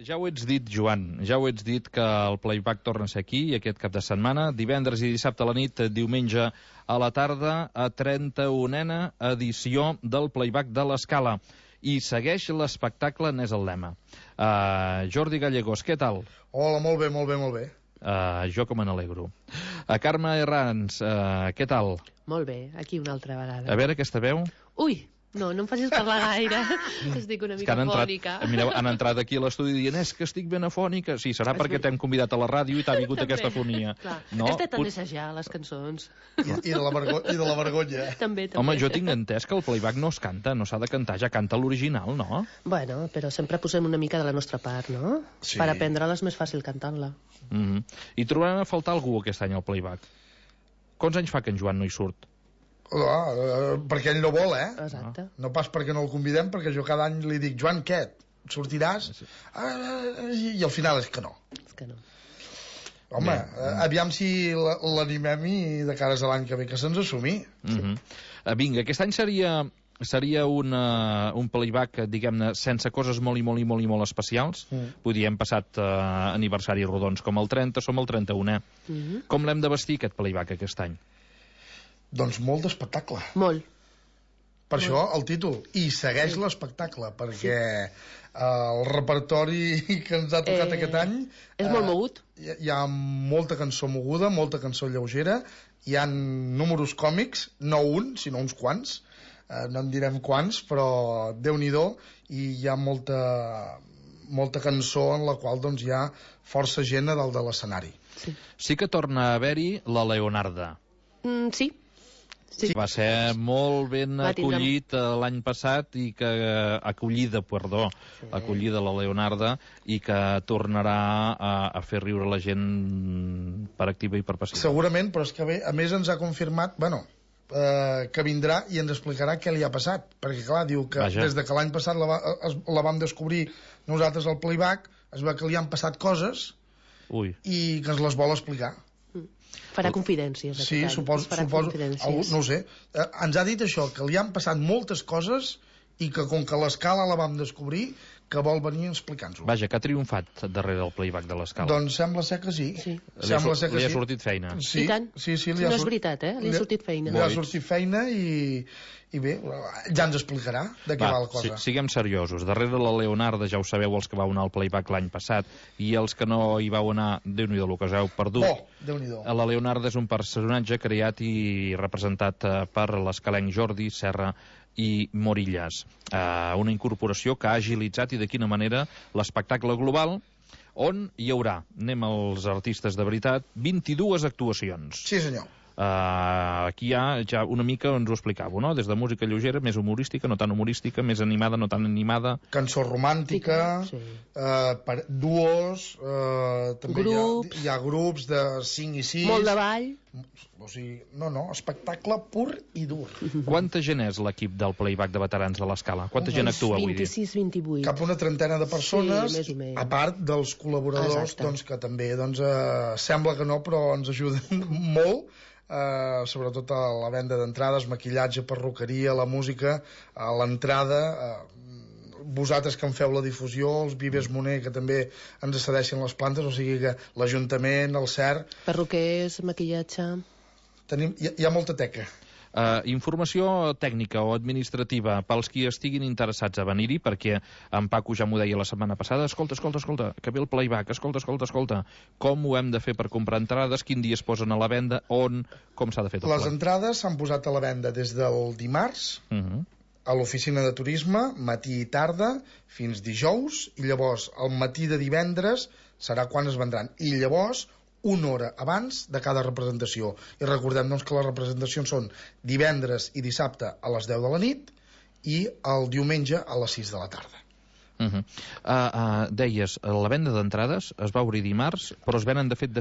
Ja ho ets dit, Joan, ja ho ets dit que el Playback torna a ser aquí aquest cap de setmana, divendres i dissabte a la nit, diumenge a la tarda, a 31a edició del Playback de l'Escala. I segueix l'espectacle, n'és el lema. Jordi Gallegos, què tal? Hola, molt bé, molt bé, molt bé. Jo com me n'alegro. Carme Herrans, què tal? Molt bé, aquí una altra vegada. A veure aquesta veu. Ui, no em facis parlar gaire. Estic una mica afònica. Mireu, han entrat aquí a l'estudi dient és que estic ben afònica. Sí, serà perquè t'hem convidat a la ràdio i t'ha vingut aquesta afonia. No? He estat a assajar les cançons. I de la vergonya. També. Home, jo tinc entès que el playback no es canta, no s'ha de cantar, ja canta l'original, no? Bueno, però sempre posem una mica de la nostra part, no? Sí. Per aprendre-la és més fàcil cantant-la. I trobarem a faltar algú aquest any al playback. Quants anys fa que en Joan no hi surt? Perquè ell no vol, Exacte. No pas perquè no el convidem, perquè jo cada any li dic, Joan, què? Sortiràs? I al final és que no. És que no. Home, aviam si l'animem i de cares a l'any que ve que se'ns assumi. Vinga, aquest any seria un playback, diguem-ne, sense coses molt especials. Vull dir, hem passat aniversaris rodons com el 30, som el 31è. Com l'hem de vestir, aquest playback, aquest any? Doncs molt d'espectacle. Molt. Per això el títol. I segueix l'espectacle, perquè el repertori que ens ha tocat aquest any... És molt mogut. Hi ha molta cançó moguda, molta cançó lleugera, hi ha números còmics, no un, sinó uns quants. No en direm quants, però Déu-n'hi-do, i hi ha molta cançó en la qual doncs, hi ha força gent a dalt de l'escenari. Sí que torna a haver-hi la Leonarda. Sí. Va ser molt ben acollit l'any passat i que acollida la Leonarda, i que tornarà a fer riure la gent per activa i per passiva. Segurament, però és que a més ens ha confirmat, que vindrà i ens explicarà què li ha passat, perquè clar, diu que des de que l'any passat la vam descobrir nosaltres al playback, es veu que li han passat coses i que ens les vol explicar. Farà confidències. Sí, suposo, no ho sé. Ens ha dit això, que li han passat moltes coses i que com que l'Escala la vam descobrir, que vol venir explicant-ho. Vaja, que ha triomfat darrere del playback de l'Escala. Doncs sembla ser que sí. Li ha sortit feina. Sí, no és veritat, li ha sortit feina. Li ha sortit feina i bé, ja ens explicarà de què va la cosa. Siguem seriosos. Darrere la Leonarda, ja ho sabeu els que vau anar al playback l'any passat, i els que no hi vau anar, Déu-n'hi-do el que us heu perdut. Déu-n'hi-do. La Leonarda és un personatge creat i representat per l'escalenc Jordi Serra i Morillas. Una incorporació que ha agilitzat, i de quina manera, l'espectacle global, on hi haurà, anem als artistes de veritat, 22 actuacions. Sí, senyor. Aquí hi ha ja una mica, ens ho explicàveu, no? Des de música lleugera, més humorística, no tan humorística, més animada, no tan animada, cançó romàntica, duos, també hi ha grups de 5 i 6, molt de ball, o sigui, espectacle pur i dur. Quanta gent és l'equip del playback de veterans de l'Escala? Quanta gent actua, vull dir? 26-28. Cap a una trentena de persones, més o menys. a part dels col·laboradors, doncs, que també sembla que no, però ens ajuden molt, sobretot a la venda d'entrades, maquillatge, perruqueria, la música, a l'entrada, vosaltres que en feu la difusió, els Vives Moner, que també ens cedeixen les plantes, o sigui que l'Ajuntament, el CERC... Perruquers, maquillatge... Hi ha molta teca. Informació tècnica o administrativa pels qui estiguin interessats a venir-hi, perquè en Paco ja m'ho deia la setmana passada, escolta, que ve el playback, escolta, com ho hem de fer per comprar entrades, quin dia es posen a la venda, com s'ha de fer tot les entrades s'han posat a la venda des del dimarts a l'oficina de turisme, matí i tarda, fins dijous, i llavors el matí de divendres serà quan es vendran, i llavors una hora abans de cada representació. I recordem doncs, que les representacions són divendres i dissabte a les 10 de la nit i el diumenge a les 6 de la tarda. Deies, la venda d'entrades es va obrir dimarts, però es venen de fet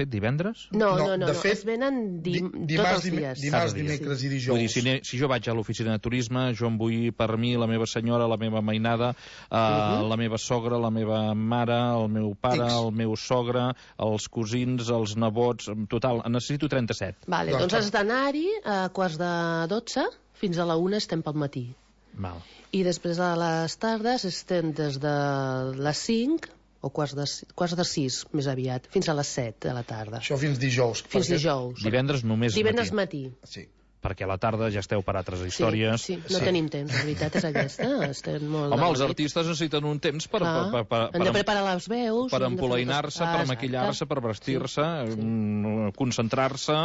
divendres? No, es venen tots els dies. Dimarts, dimecres i dijous. Vull dir, si jo vaig a l'oficina de turisme, jo em vull per mi, la meva senyora, la meva mainada, la meva sogra, la meva mare, el meu pare, el meu sogre, els cosins, els nebots, en total, necessito 37. Vale, doncs has d'anar-hi a 11:45 fins a la 1 estem pel matí. Val. I després a les tardes estem des de les 5 o quarts de 6, més aviat, fins a les 7 de la tarda. Això fins dijous. Fins dijous. Divendres només Divendres matí. Sí. Perquè a la tarda ja esteu per altres històries. Sí, no tenim temps, la veritat és aquesta. Estem molt Home, els artistes necessiten un temps per hem de preparar les veus, per empolainar-se, per maquillar-se, per vestir-se, concentrar-se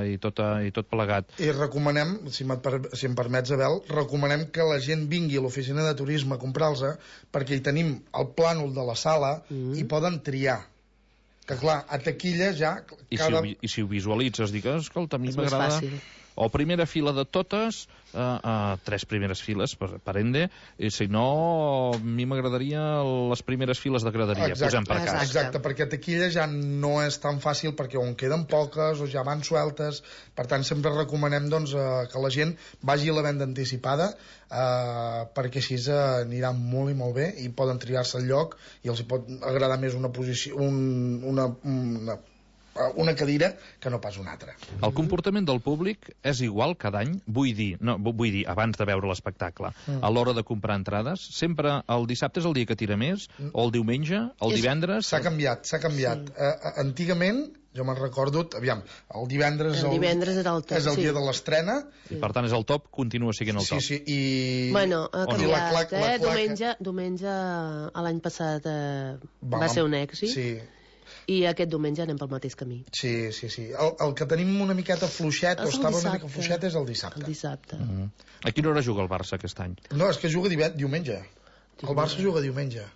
i tot plegat. I recomanem, si em permets, Abel, recomanem que la gent vingui a l'oficina de turisme a comprar-los, perquè hi tenim el plànol de la sala i poden triar. Que clar, a taquilla ja... I si ho visualitzes, digues, escolta, a mi m'agrada... O primera fila de totes, 3 primeres files, per ende, i si no, a mi m'agradaria les primeres files de graderia, posem per cas. Exacte, perquè taquilla ja no és tan fàcil, perquè on queden poques o ja van sueltes, per tant sempre recomanem doncs, que la gent vagi a la venda anticipada, perquè així anirà molt i molt bé i poden triar-se el lloc i els pot agradar més una posició, una cadira que no pas una altra. El comportament del públic és igual cada any? Vull dir, abans de veure l'espectacle, a l'hora de comprar entrades, sempre el dissabte és el dia que tira més, o el diumenge, el divendres... S'ha canviat. Sí. Antigament, jo me'n recordo, aviam, el divendres era el top, és el dia de l'estrena. I per tant és el top, continua sent el top. Sí, i... Bueno, ha canviat, Diumenge, l'any passat va ser un èxit. Sí. I aquest diumenge anem pel mateix camí. Sí. El que tenim una miqueta fluixet, o estava una mica fluixet, és el dissabte. A quina hora juga el Barça aquest any? No, és que juga diumenge. El Barça juga diumenge.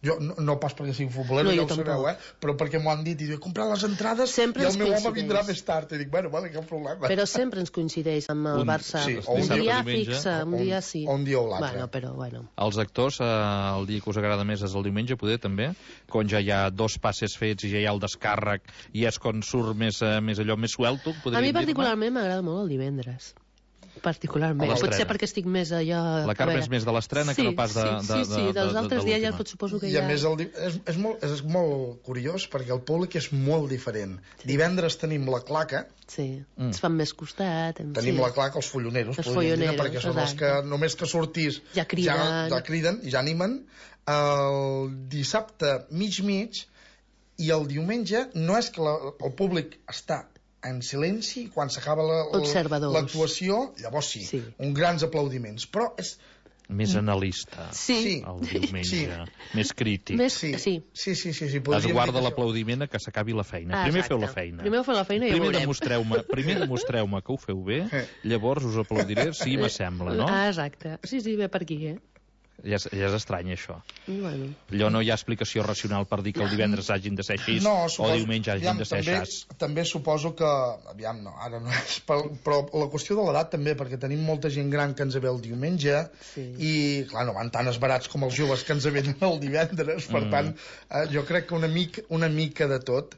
Jo no pas perquè sigui futbolero, ja ho sabeu, però perquè m'ho han dit i dic, comprar les entrades i el meu home vindrà més tard. I dic, bueno, vale, cap problema. Però sempre ens coincideix amb el Barça. Un dia fixe, un dia sí. Un dia o l'altre. Bueno. Els actors, el dia que us agrada més és el diumenge, poder, també? Quan ja hi ha 2 passes fets i ja hi ha el descàrrec i és quan surt més allò més suelto? A mi particularment m'agrada molt el divendres. Particularment. Potser perquè estic més allò... La Carme és més de l'estrena que no pas de dels altres dies ja suposo que ja... I a més és molt curiós perquè el públic és molt diferent. Divendres tenim la claca. Sí, ens fan més costat. Tenim la claca, els folloneros, perquè són els que només que sortís ja criden i ja animen. El dissabte mig i el diumenge no és que el públic està en silenci, quan s'acaba l'actuació, llavors sí, uns grans aplaudiments, però és... Més analista, el diumenge, més crític. Sí. Es guarda l'aplaudiment a que s'acabi la feina. Primer feu la feina. Primer feu la feina i ja veurem. Primer demostreu-me que ho feu bé, llavors us aplaudiré si m'assembla, no? Exacte. Sí, ve per aquí, Ja és estrany, això. Bueno. Allò no hi ha explicació racional per dir que el divendres hagin de ser així o diumenge hagin de ser així. També suposo que... ara no és... Però la qüestió de l'edat també, perquè tenim molta gent gran que ens ve el diumenge i, clar, no van tan esbarats com els joves que ens venen el divendres. Per tant, jo crec que una mica de tot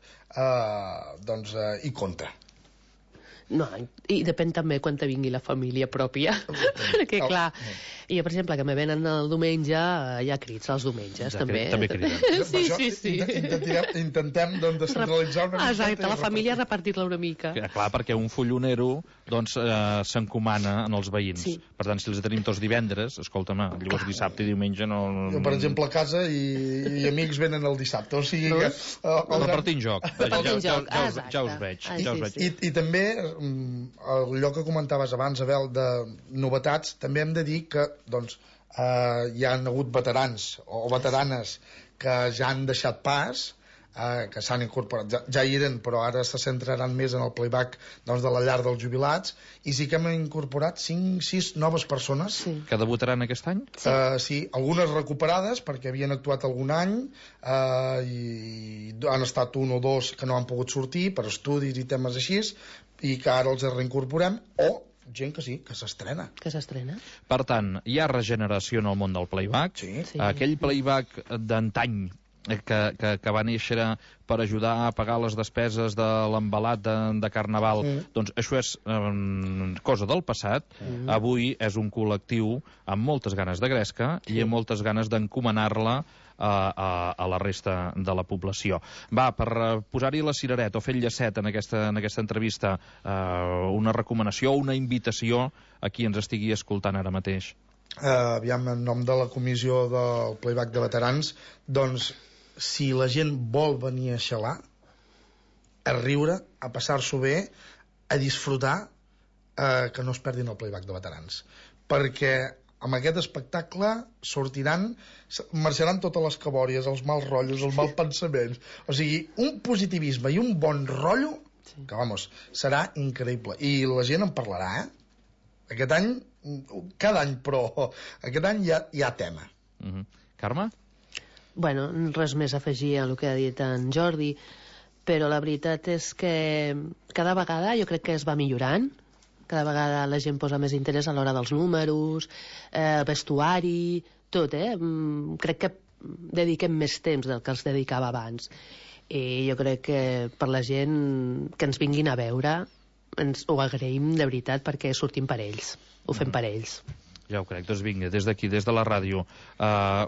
hi compta. No, i depèn també quan te vingui la família pròpia. Perquè, clar, jo, per exemple, que me venen el diumenge, hi ha crits els diumenges, també. També criden. Sí. Intentem, doncs, descentralitzar una mica. Exacte, la família repartir-la una mica. Clar, perquè un follonero, doncs, s'encomana en els veïns. Per tant, si els tenim tots divendres, escolta'm, llavors dissabte i diumenge no... Jo, per exemple, a casa i amics venen el dissabte, o sigui que... Repartint joc. Ja us veig. I també... allò que comentaves abans, Abel, de novetats, també hem de dir que doncs, hi ha hagut veterans o veteranes que ja han deixat pas, que s'han incorporat, ja hi eren, però ara se centraran més en el playback doncs, de la llar dels jubilats, i sí que hem incorporat 5-6 noves persones. Que debutaran aquest any? Sí, algunes recuperades perquè havien actuat algun any i han estat 1 o 2 que no han pogut sortir per estudis i temes així, i que ara els reincorporem, o gent que sí, que s'estrena. Per tant, hi ha regeneració en el món del playback. Aquell playback d'antany que va néixer per ajudar a pagar les despeses de l'embalat de Carnaval, doncs això és cosa del passat. Avui és un col·lectiu amb moltes ganes de gresca i amb moltes ganes d'encomanar-la a la resta de la població. Va, per posar-hi la cirereta o fer el llacet en aquesta entrevista, una recomanació o una invitació a qui ens estigui escoltant ara mateix. aviam, en nom de la comissió del Playback de Veterans, doncs, si la gent vol venir a xalar, a riure, a passar-s'ho bé, a disfrutar, que no es perdin el Playback de Veterans. Perquè amb aquest espectacle marxaran totes les cabòries, els mals rotllos, els mals pensaments. O sigui, un positivisme i un bon rotllo que, vamos, serà increïble. I la gent en parlarà, Aquest any, cada any, però aquest any hi ha tema. Carme? Bueno, res més a afegir a el que ha dit en Jordi, però la veritat és que cada vegada jo crec que es va millorant, cada vegada la gent posa més interès a l'hora dels números, el vestuari, tot, crec que dediquem més temps del que els dedicava abans. I jo crec que per la gent que ens vinguin a veure ens ho agraïm de veritat perquè sortim per ells, ho fem per ells. Ja ho crec, doncs vinga, des d'aquí, des de la ràdio,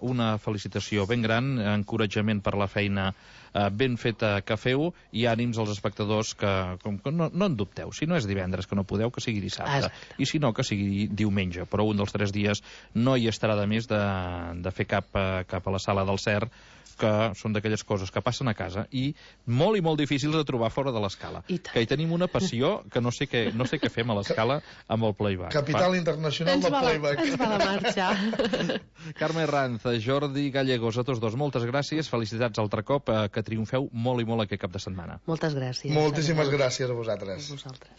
una felicitació ben gran, encoratjament per la feina ben feta que feu i ànims als espectadors que no en dubteu, si no és divendres que no podeu, que sigui dissabte, i si no que sigui diumenge, però un dels 3 dies no hi estarà de més de fer cap a la sala del CER, que són d'aquelles coses que passen a casa i molt i molt difícils de trobar fora de l'escala. Que hi tenim una passió que no sé què fem a l'escala amb el playback. Capital internacional del playback. Ens va de marxa. Carme Herranz, Jordi Gallegos, a tots dos, moltes gràcies, felicitats altre cop, que triomfeu molt i molt aquest cap de setmana. Moltes gràcies. Moltíssimes gràcies a vosaltres. A vosaltres.